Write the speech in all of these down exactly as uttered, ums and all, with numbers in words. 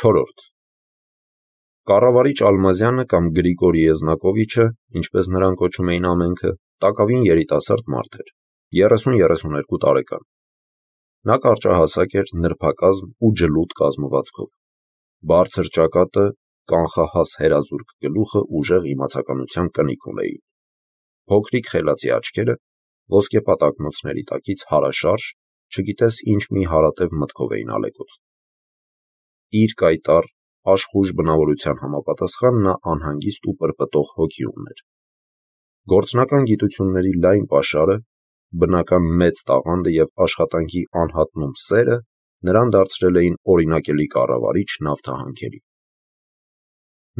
Չորրորդ. Կառավարիչ Ալմազյանը կամ Գրիգոր Եզնակովիչը, ինչպես նրան կոչում էին ամենքը, տակավին երիտասարդ մարդ էր, երեսուն-երեսուներկու տարեկան։ Նա կարճահասակ էր, նրբակազմ ու ջլուտ կազմվածքով։ Բարձր ճակատը, կանխահաս հերազուրկ գլուխը ուժեղ իմացականության կնիկ ունեին։ Փոքրիկ խելացի աչքերը, ոսկեպատ ակնոցների տակից հարաշարժ, չգիտես ինչ մի հարատև մտքով էին ալեկոծ։ Իր կայտառ, աշխույժ բնավորության համապատասխան նա անհանգիստ ու պրպտող հոգի ուներ։ Գործնական գիտությունների լայն պաշարը, բնական մեծ տաղանդը և աշխատանքի անհատնում սերը նրան դարձրել էին օրինակելի կառավարիչ նավթահանքերի։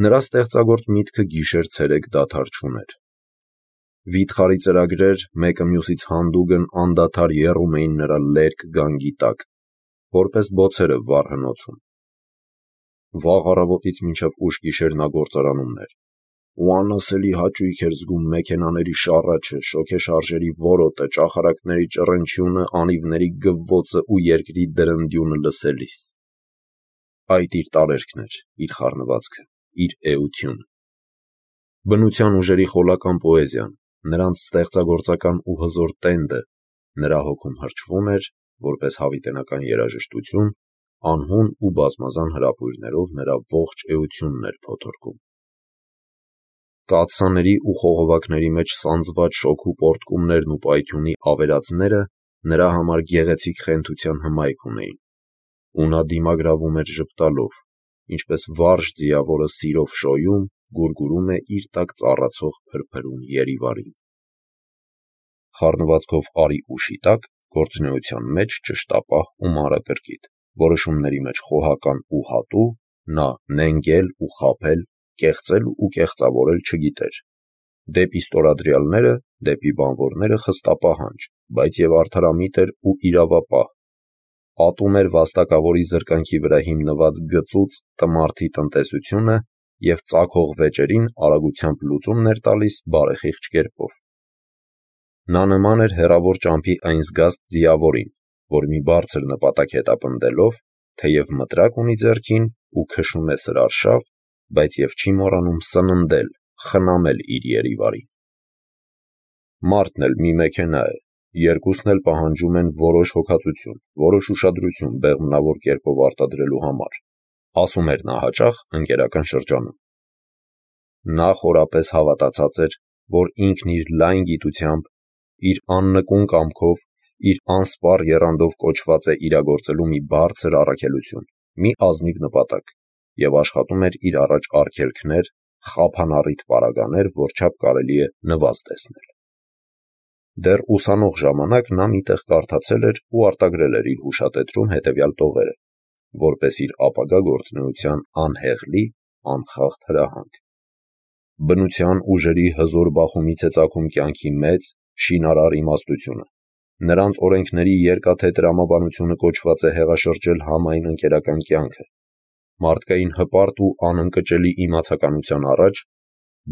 Նրա ստեղծագործ միտքը գիշեր-ցերեկ դադար չուներ։ Վիթխարի ծրագրեր մեկը մյուսից հանդուգն անդադար եռում էին նրա լերկ գանգի տակ, որպես բոցերը վառ հնոցում։ Վաղ առավոտից մինչև ուշ գիշեր նա գործարանում էր, ու անասելի հաճույք էր զգում մեքենաների շառաչը, շոգեշարժերի որոտը, ճախարակների ճռնչյունը, անիվների գվվոցը ու երկրի դրնդյունը լսելիս։ Այդ իր տարերքն էր, իր խառնվածքը, իր էությունը։ Բնության ուժերի խոլական պոեզիան, նրանց ստեղծագործական ու հզոր տենդը նրա հոգում հրճվում էր, որպես հավիտենական երաժշտություն, անհուն ու բազմազան հրապույրներով նրա ողջ էությունն էր փոթորկում։ Կաթսաների ու խողովակների մեջ սանձված շոգու պոռթկումներն ու պայթյունի ավերածները նրա համար գեղեցիկ խենթության հմայք ունեին, ու նա դիմագրավում էր ժպտալով, ինչպես վարժ ձիավորը սիրով շոյում, գուրգուրում է իր տակ ծառացող փրփրուն երիվարին։ Խառնվածքով արի ուշի տակ, գործունեության մեջ ճշտապահ ու մանրակրկիտ, որոշումների մեջ խոհական ու հատու, նա նենգել ու խաբել, կեղծել ու կեղծավորել չգիտեր։ Դեպի ստորադրյալները, դեպի բանվորները խստապահանջ, բայց և արդարամիտ էր ու իրավապահ։ Ատում էր վաստակավորի զրկանքի վրա հիմնված գծուծ տմարդի տնտեսությունը և ծագող վեճերին արագությամբ լուծումն էր տալիս բարեխիղճ կերպով։ Նա նման էր հեռավոր ճամփի այն զգաստ ձիավորին, որ մի բարձր նպատակ հետապնդելով, թեև մտրակ ունի ձեռքին ու քշում է սրարշավ, բայց և չի մոռանում սննդել, խնամել իր երիվարին։ Մարդն էլ մի մեքենա է, երկուսն էլ պահանջում են որոշ հոգածություն, որոշ ուշադրություն բեղմնավոր կերպով արտադրելու համար, ասում էր նա հաճախ ընկերական շրջանում։ Նա խորապես հավատացած էր, որ ինքն իր լայն գիտությամբ, իր աննկուն կամքով, իր անսպառ եռանդով կոչված է իրագործելու մի բարձր առաքելություն, մի ազնիվ նպատակ, և աշխատում էր իր առաջ արգելքներ, խափանառիթ պարագաներ, որչափ կարելի է նվազ տեսնել։ Դեռ ուսանող ժամանակ նա մի տեղ կարդացել էր ու արտագրել էր իր հուշատետրում հետևյալ տողերը, որպես իր ապագա գործունեության անհեղլի, անխախտ հրահանգ. բնության ուժերի հզոր բախումից է ծագում կյանքի մեծ, շինարար իմաստությունը, նրանց օրենքների երկաթե տրամաբանությունը կոչված է հեղաշրջել համայն ընկերական կյանքը, մարդկային հպարտ ու անընկճելի իմացականության առաջ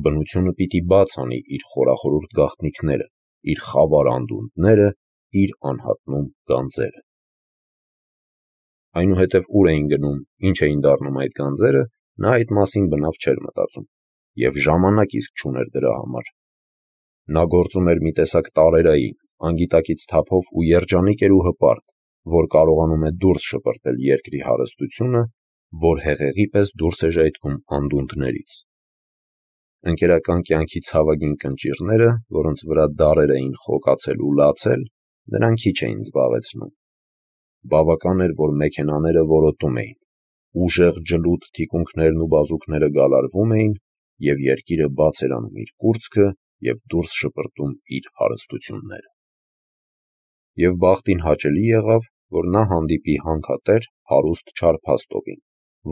բնությունը պիտի բաց անի իր խորախորուրդ գաղտնիքները, իր խավար անդունդները, իր անհատնում գանձերը։ Այնուհետև ուր էին գնում, ինչ էին դառնում այդ գանձերը, նա այդ մասին բնավ չէր մտածում, և ժամանակ իսկ չուներ դրա համար։ Նա գործում էր մի տեսակ տարերային, անգիտակից թափով ու երջանիկ էր ու հպարտ, որ կարողանում է դուրս շպրտել երկրի հարստությունը, որ հեղեղի պես դուրս է ժայթքում անդունդներից։ Ընկերական կյանքի ցավագին կնճիռները, որոնց վրա դարեր էին խոկացել ու լացել, նրան քիչ էին զբաղեցնում։ Բավական էր, որ մեքենաները որոտում էին, ուժեղ ջլուտ թիկունքներն ու բազուկները գալարվում էին, և երկիրը բաց էր անում իր կուրծքը և դուրս շպրտում իր հարստությունները։ Եվ բախտին հաճելի եղավ, որ նա հանդիպի հանքատեր, հարուստ Չարփաստովին,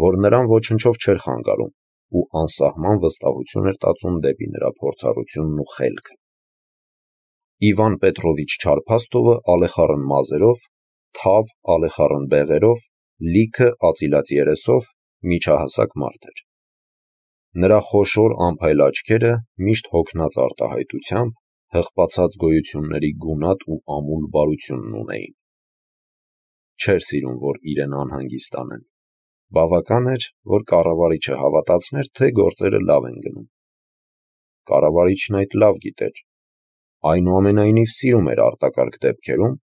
որ նրան ոչնչով չէր խանգարում ու անսահման վստահություն էր տածում դեպի նրա փորձառությունն ու խելքը։ Իվան Պետրովիչ Չարփաստովը ալեխառն մազերով, թավ ալեխառն բեղերով, լիքը ածիլած երեսով միջահասակ մարդ էր։ Նրա խոշոր անփայլ աչքերը միշտ հոգնած արտահայտությամբ, հղպացած գոյությունների գունատ ու ամուլ բարությունն ունեին։ Չէր սիրում, որ իրեն անհանգիստ անեն։ Բավական էր, որ կառավարիչը հավատացներ, թե գործերը լավ են գնում։ Կառավարիչն այդ լավ գիտեր, այնուամենայնիվ սիրում էր արտակարգ դեպքերում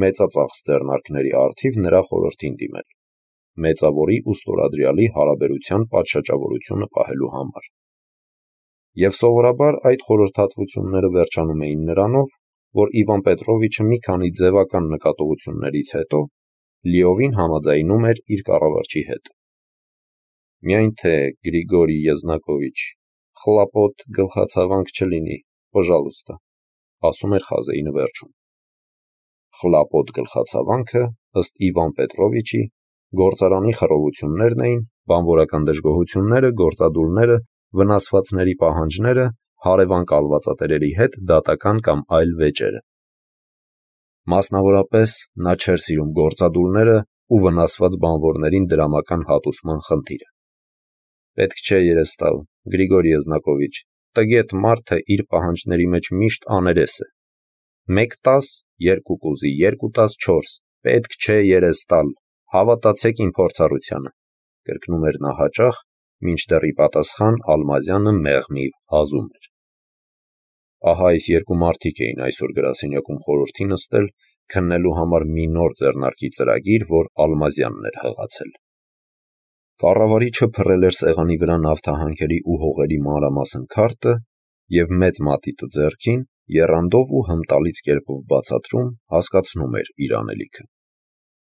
մեծածախս ձեռնարկների առթիվ նրա խորհրդին դիմել, մեծավորի ու ստորադրյալի հարաբերության պատշաճավորությունը պահելու համար։ Եվ սովորաբար այդ խորհրդատվությունները վերջանում էին նրանով, որ Իվան Պետրովիչը մի քանի ձևական նկատողություններից հետո լիովին համաձայնում էր իր կառավարչի հետ։ Միայն թե Գրիգորի Եզնակովիչ, խլապոտ գլխացավանք չլինի, պժալուստը, ասում էր Խազեինը վերջում։ Խլապոտ գլխացավանքը, ըստ Իվան Պետրովիչի, գործարանի խռովություններն էին, բանվորական դժգոհությունները, գործադուլները, վնասվածների պահանջները, հարևան կալվածատերերի հետ դատական կամ այլ վեճերը։ Մասնավորապես նա չէր սիրում գործադուլները ու վնասված բանվորներին դրամական հատուցման խնդիրը։ Պետք չէ երես տալ, Գրիգորի Եզնակովիչ, տգետ մարդը իր պահանջների մեջ միշտ աներես է։ Մեկ տաս, երկու կուզի, երկու տաս չորս, պետք չէ երես տալ, հավատացեք իմ փորձառությանը, կրկնում էր նա հաճախ, մինչդեռ ի պատասխան Ալմազյանը մեղմիվ հազում էր։ Ահա այս երկու մարդիկ էին այսօր գրասենյակում խորհրդի նստել քննելու համար մի նոր ձեռնարկի ծրագիր, որ Ալմազյանն էր հղացել։ Կառավարիչը փռել էր սեղանի վրա նավթահանքերի ու հողերի մանրամասն քարտը և մեծ մատիտը ձեռքին, եռանդով ու հմտալից կերպով բացատրում, հասկացնում էր իր անելիքը։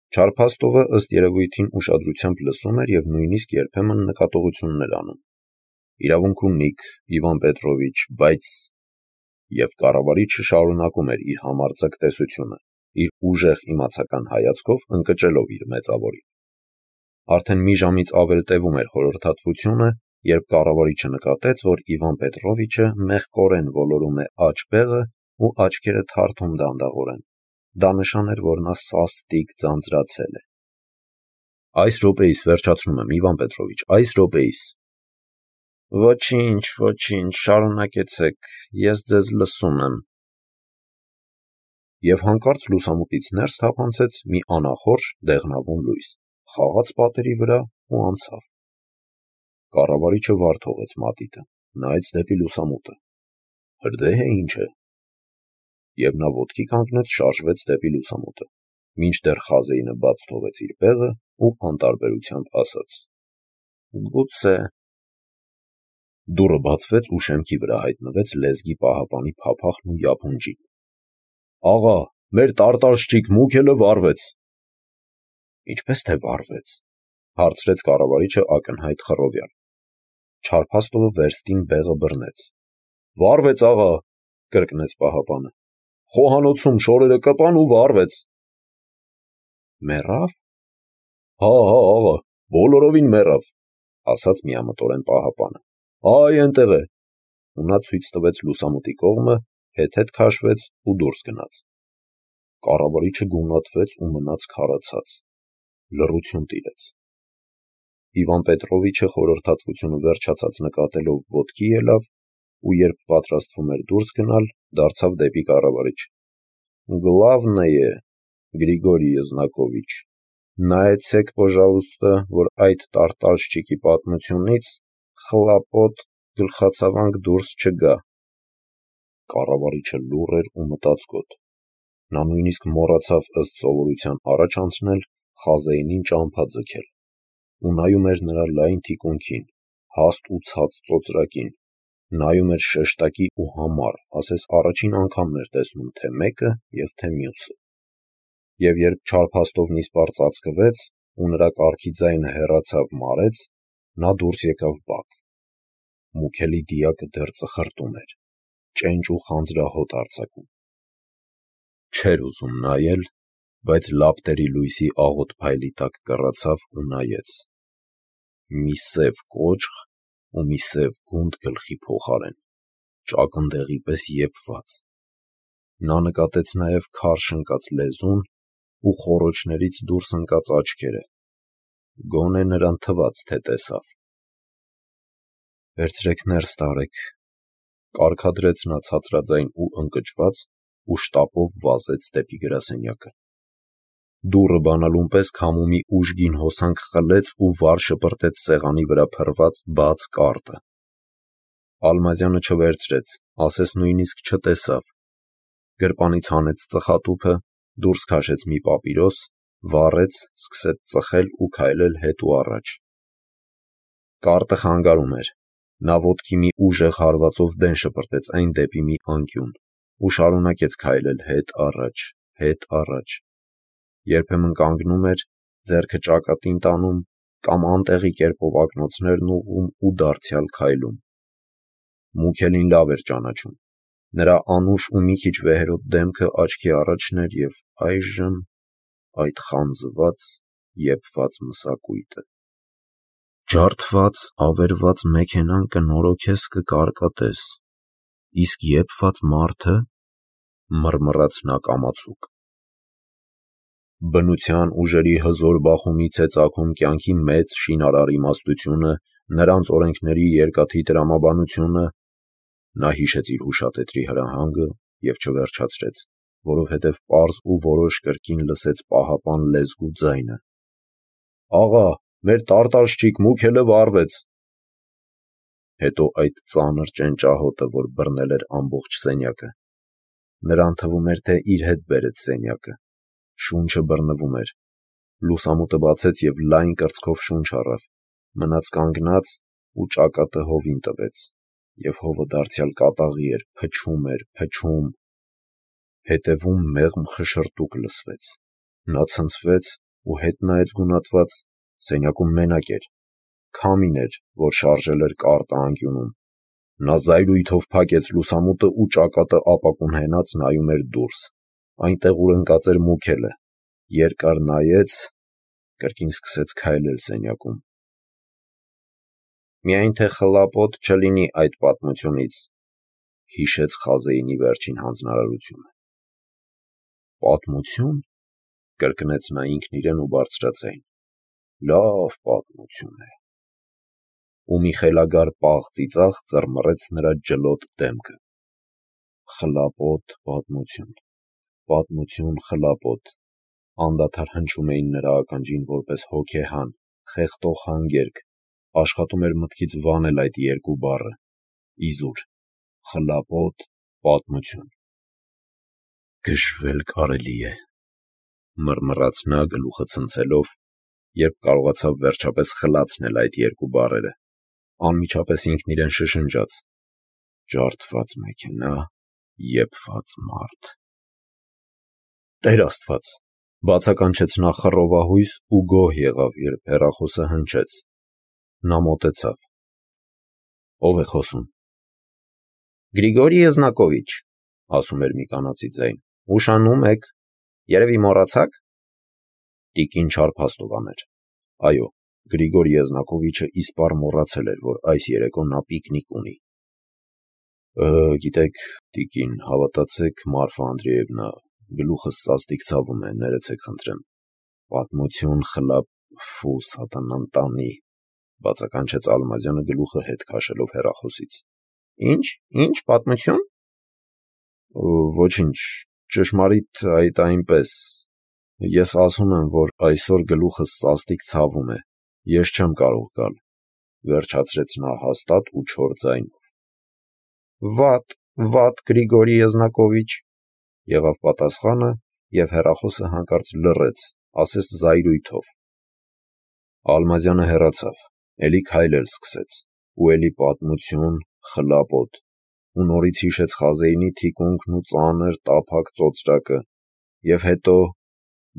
Չարփաստովը ըստ երևույթին ուշադրությամբ լսում էր և նույնիսկ երբեմն նկատողություններ անում։ Իրավունք ունիք, Իվան Պետրովիչ, բայց… Եվ կառավարիչը շարունակում էր իր համարձակ տեսությունը, իր ուժեղ իմացական հայացքով ընկճելով իր մեծավորին։ Արդեն մի ժամից ավել տևում էր խորհրդատվությունը, երբ կառավարիչը նկատեց, որ Իվան Պետրովիչը մեղքորեն ոլորում է աջ բեղը ու աչքերը թարթում դանդաղորեն։ Դա նշան էր, որ նա սաստիկ ձանձրացել է։ Այս րոպեիս վերջացնում եմ, Իվան Պետրովիչ, այս րոպեիս։ Ոչինչ, ոչինչ, շարունակեցեք, ես ձեզ լսում եմ։ Եվ հանկարծ լուսամուտից ներս թափանցեց մի անախորժ դեղնավուն լույս, խաղաց պատերի վրա ու անցավ։ Կառավարիչը վար թողեց մատիտը, նայեց դեպի լուսամուտը։ Հրդեհ է ինչ է։ Եվ նա ոտքի կանգնեց, շարժվեց դեպի լուսամուտը, մինչդեռ Խազեինը բաց թողեց իր բեղը ու անտարբերությամբ ասաց. Գուցե… Դուռը բացվեց ու շեմքի վրա հայտնվեց լեզգի պահապանի փափախն ու յափունջին։ Աղա, մեր տարտարշչիկ Մուքելը վառվեց։ Ինչպես թե վառվեց, հարցրեց կառավարիչը ակնհայտ խռովյալ։ Չարփաստովը վերստին բեղը բռնեց։ Վառվեց, աղա, կրկնեց պահապանը։ Խոհանոցում շորերը կպան ու վառվեց։ Մեռավ։ Հա, հա, աղա, բոլորովին մեռավ, ասաց միամտորեն պահապանը։ Այ այնտեղ է։ Ու նա ցույց տվեց լուսամուտի կողմը, հետ-հետ քաշվեց ու դուրս գնաց։ Կառավարիչը գունատվեց ու մնաց քարացած։ Լռություն տիրեց։ Իվան Պետրովիչը խորհրդատվությունը վերջացած նկատելով ոտքի ելավ ու երբ պատրաստվում էր դուրս գնալ, դարձավ դեպի կառավարիչ։ Գլավնեյե, Գրիգորի Եզնակովիչ, նայեցեք, պոժալուստը, որ այդ տարտարշչիկի պատմությունից խլապոտ գլխացավանք դուրս չգա։ Կառավարիչը լուռ էր ու մտածկոտ։ Նա նույնիսկ մոռացավ ըստ սովորության առաջ անցնել Խազեինին ճամփա ձգել, ու նայում էր նրա լայն թիկունքին, հաստ ու ցած ծոծրակին, նայում էր շեշտակի ու համառ, ասես առաջին անգամն էր տեսնում թե մեկը և թե մյուսը։ Եվ երբ չարփաստովն իսպառ ծածկվեց ու նրա կառքի ձայնը հեռացավ մարեց, նա դուրս եկավ բակ։ Մուքելի դիակը դեռ ծխրտում էր, ճենճ ու խանձրահոտ արձակում։ Չէր ուզում նայել, բայց լապտերի լույսի աղոտ փայլի տակ կռացավ ու նայեց։ Մի սև կոճղ ու մի սև գունդ գլխի փոխարեն, ճակնդեղի պես եփված։ Նա նկատեց նաև քարշ ընկած լեզուն ու խոռոչներից դուրս ընկած աչքերը։ Գոնե նրան թվաց, թե տեսավ։ Վերցրեք ներս տարեք, կարգադրեց նա ցածրաձայն ու ընկճված ու շտապով վազեց դեպի գրասենյակը։ դուռը բանալուն պես քամումի ուժգին հոսանք խլեց ու վար շպրտեց սեղանի վրա փռված բաց կարտը։ Ալմազյանը չվերցրեց, ասես նույնիսկ չտեսավ։ Գրպանից հանեց ծխատուփը, դուրս քաշեց մի պապիրոս, վառեց, սկսեց ծխել ու քայլել հետ ու առաջ։ Կարտը խանգարում էր։ Նա ոտքի մի ուժեղ հարվածով դեն շպրտեց այն դեպի մի անկյուն ու շարունակեց քայլել հետ առաջ, հետ առաջ։ Երբեմն կանգնում էր, ձեռքը ճակատին տանում կամ անտեղի կերպով ակնոցներն ուղղում ու դարձյալ քայլում։ Մուքելին լավ էր ճանաչում։ Նրա անուշ ու մի քիչ վեհերոտ դեմքը աչքի առաջն էր և այժմ այդ խանձված, եփված մսակույթը։ Ջարդված, ավերված մեքենան կնորոգես, կկարկատես, իսկ եփված մարդը, մռմռաց նա կամացուկ։ Բնության ուժերի հզոր բախումից է ծագում կյանքի մեծ շինարար իմաստությունը, նրանց օրենքների երկաթի տրամաբանությունը։ Նա հիշեց իր հուշատետրի հրահանգը և չվերջացրեց, որովհետև պարզ ու որոշ կրկին լսեց պահապան լեզվու ձայնը. «Աղա, մեր տարտարշչիկ Մուքելը վառվեց»։ Հետո այդ ծանր ճենճահոտը, որ բռնել էր ամբողջ սենյակը։ Նրան թվում էր, թե իր հետ բերեց սենյակը։ Շունչը բռնվում էր։ Լուսամուտը բացեց և լայն կրծքով շունչ առավ, մնաց կանգնած ու ճակատը հովին տվեց, և հովը դարձյալ կատաղի էր, փչում էր, փչում։ Հետևում մեղմ խշշրտուկ լսվեց։ Նա ցնցվեց ու հետ նայեց գունատված, սենյակում մենակ էր։ Քամին էր, որ շարժել էր կարտը անկյունում։ Նա զայրույթով փակեց լուսամուտը ու ճակատը ապակուն հենած նայում էր դուրս, այնտեղ, ուր ընկած էր Մուքելը։ Երկար նայեց, կրկին սկսեց քայլել սենյակում։ «Միայն թե խլապոտ չլինի այդ պատմությունից», հիշեց Խազեինի վերջին հանձնարարությունը։ «Պատմությո՞ւն», կրկնեց նա ինքն իրեն ու բարձրաձայն։ «Լավ պատմություն է»։ Ու մի խելագար պաղ ծիծաղ ծռմռեց նրա ջլոտ դեմքը։ Խլապոտ պատմություն, պատմություն խլապոտ, անդադար հնչում էին նրա ականջին որպես հոգեհան, խեղդող հանգերք, աշխատում էր մտքից վանել այդ երկու բառը։ Իզուր, խլապոտ պատմություն։ «Գժվել կարելի է», մռմռաց նա գլուխը ցնցելով, երբ կարողացավ վերջապես խլացնել այդ երկու բառերը։ Անմիջապես ինքն իրեն շշնջաց. «Ջարդված մեքենա, եփված մարդ»։ Տեր Աստված, բացականչեց նա խռովահույս ու գոհ եղավ, երբ հեռախոսը հնչեց։ Նա մոտեցավ։ Ո՞վ է խոսում։ «Գրիգորի Եզնակովիչ», ասում էր մի կանացի ձայն, «ուշանում եք, երևի մոռացաք»։ Տիկին Չարփաստովան էր։ Այո, Գրիգոր Եզնակովիչը իսպառ մոռացել էր, որ այս երեկո նա պիկնիկ ունի։ Գիտեք, տիկին, հավատացեք, Մարֆա Անդրեևնա, գլուխս սաստիկ ցավում է, ներեցեք խնդրեմ։ Պատմություն խլապ, ֆու, սատանան տանի, բացականչեց Ալմազյանը գլուխը հետ քաշելով հեռախոսից։ Ինչ, ինչ պատմություն։ Ոչինչ, ճշմարիտ այդ այնպես։ Ես ասում եմ, որ այսօր գլուխս սաստիկ ցավում է, ես չեմ կարող գալ, վերջացրեց նա հաստատ ու չոր ձայնով։ Վատ, վատ, Գրիգորի Եզնակովիչ, եղավ պատասխանը, և հեռախոսը հանկարծ լռեց, ասես զայրույթով։ Ալմազյանը հեռացավ, էլի քայլել սկսեց, ու էլի պատմություն, խլապոտ, ու նորից հիշեց Խազեինի թիկունքն ու ծանր տափակ ծոծրակը, և հետո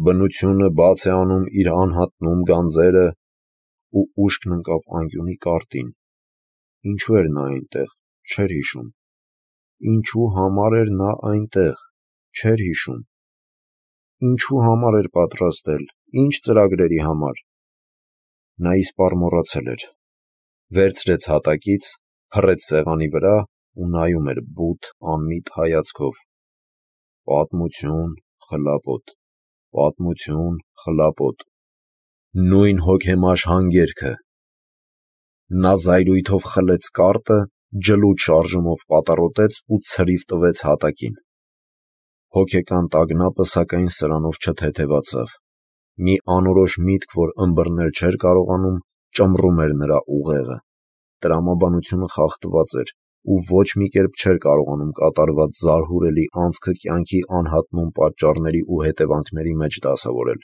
բնությունը բաց է անում իր անհատնում գանձերը, ու ուշքն ընկավ անկյունի կարտին։ Ինչու էր նա այնտեղ, չէր հիշում։ Ինչու համար էր նա այնտեղ, չէր հիշում։ Ինչու համար էր պատրաստել, ինչ ծրագրերի համար։ Նա իսպառ մոռացել էր։ Վերցրեց հատակից, փռեց սեղանի վրա ու նայում էր բութ, անմիտ հայացքով։ Պատմություն, խլապոտ, պատմություն, խլապոտ։ Նույն հոգեմաշ հանգերքը։ Նա զայրույթով խլեց կարտը, ջլուտ շարժումով պատառոտեց ու ցրիվ տվեց հատակին։ Հոգեկան տագնապը, սակայն, սրանով չթեթևացավ, Մի անորոշ միտք, որ ըմբռնել չէր կարողանում, ճմռում էր նրա ուղեղը։ Տրամաբանությունը խախտված էր, ու ոչ մի կերպ չէր կարողանում կատարված զարհուրելի անցքը կյանքի անհատնում պատճառների ու հետևանքների մեջ դասավորել,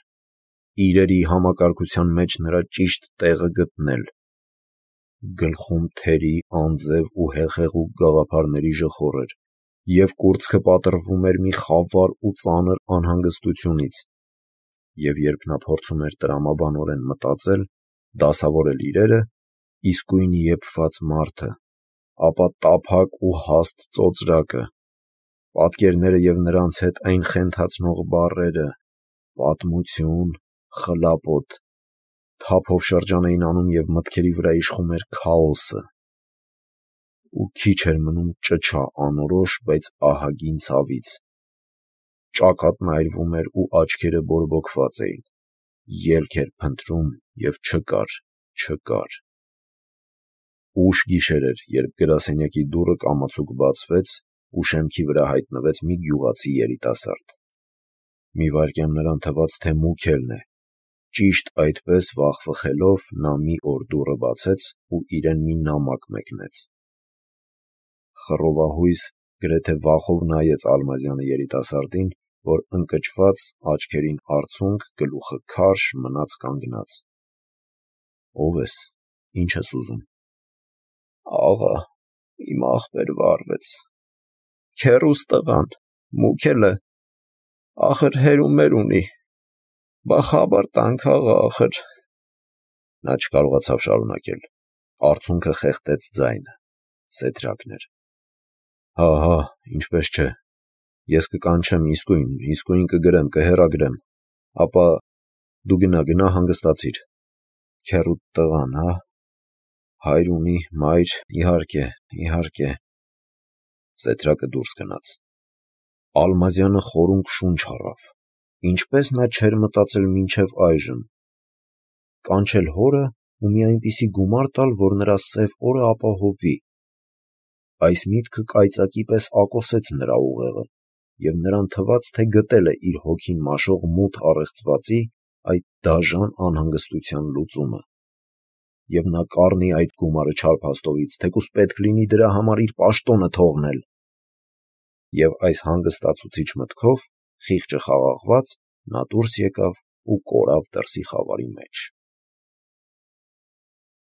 իրերի համակարգության մեջ նրա ճիշտ տեղը գտնել։ Գլխում թերի, անձև ու հեղեղուկ գաղափարների ժխոր էր, և կուրծքը պատռվում էր մի խավար ու ծանր անհանգստությունից, և երբ նա փորձում էր տրամաբանորեն մտածել, դասավորել իրերը, իսկույն եփված մարդը, ապա տափակ ու հաստ ծոծրակը, պատկերները և նրանց հետ այն խենթացնող բառերը՝ պատմություն, խլապոտ, թափով շրջան էին անում և մտքերի վրա իշխում էր քաոսը, ու քիչ էր մնում ճչա անորոշ, բայց ահագին ցավից։ Ճակատն այրվում էր ու աչքերը բորբոքված էին, ելք էր փնտրում և չկար, չկար։ Ուշ գիշեր էր, երբ գրասենյակի դուռը կամացուկ բացվեց, ու շեմքի վրա հայտնվեց մի գյուղացի երիտասարդ։ Մի վայրկյան նրան թվաց, թե Մուքելն է։ Ճիշտ այդպես վախվխելով, նա մի օր դուռը բացեց ու իրեն մի նամակ մեկնեց։ Խռովահույս, գրեթե վախով նայեց Ալմազյանը երիտասարդին, որ ընկճված, աչքերին արցունք, գլուխը քարշ, մնաց կանգնած։ ո՞վ ես, ի՞նչ ես ուզում։ Աղա, իմ ախպերը վարվեց։ Քեռուս տղան, Մուքելը, ախր հեր-ու-մեր ունի, բա խաբար տանք, աղա, ախր… Նա չկարողացավ շարունակել, արցունքը խեղդեց ձայնը, սեթրակն էր։ Հա, հա, ինչպես չէ, ես կկանչեմ իսկույն, իսկույն կգրեմ, կհեռագրեմ, ապա դու գնա, գնա հանգստացիր։ Քեռուդ տղան, հա, հայր ունի, մայր, իհարկե, իհարկե… Սեթրակը դուրս գնաց։ Ալմազյանը խորունկ շունչ առավ։ Ինչպես նա չէր մտածել մինչև այժմ. կանչել հորը ու մի այնպիսի գումար տալ, որ նրա սև օրը ապահովվի։ Այս միտքը կայծակի պես ակոսեց նրա ուղեղը, և նրան թվաց, թե գտել է իր հոգին մաշող մութ առեղծվածի այդ դաժան անհանգստության լուծումը։ Եվ նա կառնի այդ գումարը չարփաստողից, թեկուզ պետք լինի դրա համար իր պաշտոնը թողնել։ Եվ այս հանգստացուցիչ մտքով, խիղճը խաղաղված, նա դուրս եկավ ու կորավ դրսի խավարի մեջ։